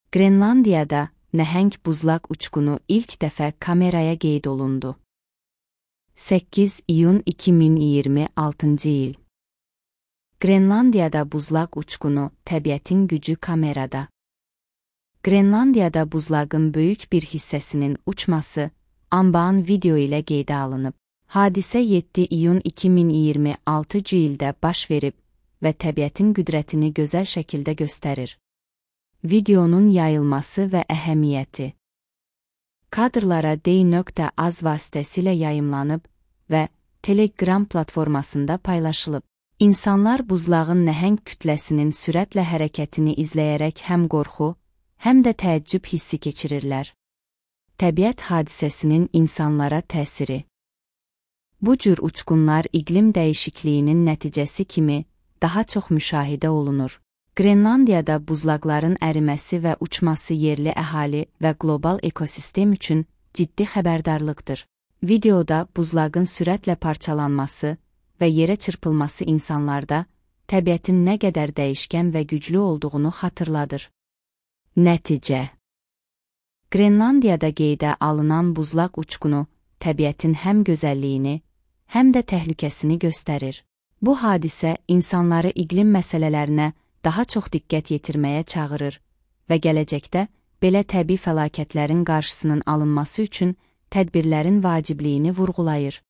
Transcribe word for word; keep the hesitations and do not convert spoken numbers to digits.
Qrenlandiyada nəhəng buzlaq uçqunu ilk dəfə kameraya qeyd olundu. səkkiz iyun iki min iyirmi altıncı il. Qrenlandiyada buzlaq uçqunu, təbiətin gücü kamerada. Qrenlandiyada buzlağın böyük bir hissəsinin uçması, anbaan video ilə qeydə alınıb. Hadisə yeddi iyun iki min iyirmi altıncı ildə baş verib və təbiətin qüdrətini gözəl şəkildə göstərir. Videonun yayılması və əhəmiyyəti. Kadrlara D.Az vasitəsilə yayımlanıb və Telegram platformasında paylaşılıb. İnsanlar buzlağın nəhəng kütləsinin sürətlə hərəkətini izləyərək həm qorxu, həm də təəccüb hissi keçirirlər. Təbiət hadisəsinin insanlara təsiri. Bu cür uçqunlar iqlim dəyişikliyinin nəticəsi kimi daha çox müşahidə olunur. Qrenlandiyada buzlaqların əriməsi və uçması yerli əhali və qlobal ekosistem üçün ciddi xəbərdarlıqdır. Videoda buzlağın sürətlə parçalanması və yerə çırpılması insanlarda təbiətin nə qədər dəyişkən və güclü olduğunu xatırladır. Nəticə. Qrenlandiyada qeydə alınan buzlaq uçqunu təbiətin həm gözəlliyini, həm də təhlükəsini göstərir. Bu hadisə insanları iqlim məsələlərinə daha çox diqqət yetirməyə çağırır və gələcəkdə belə təbii fəlakətlərin qarşısının alınması üçün tədbirlərin vacibliyini vurğulayır.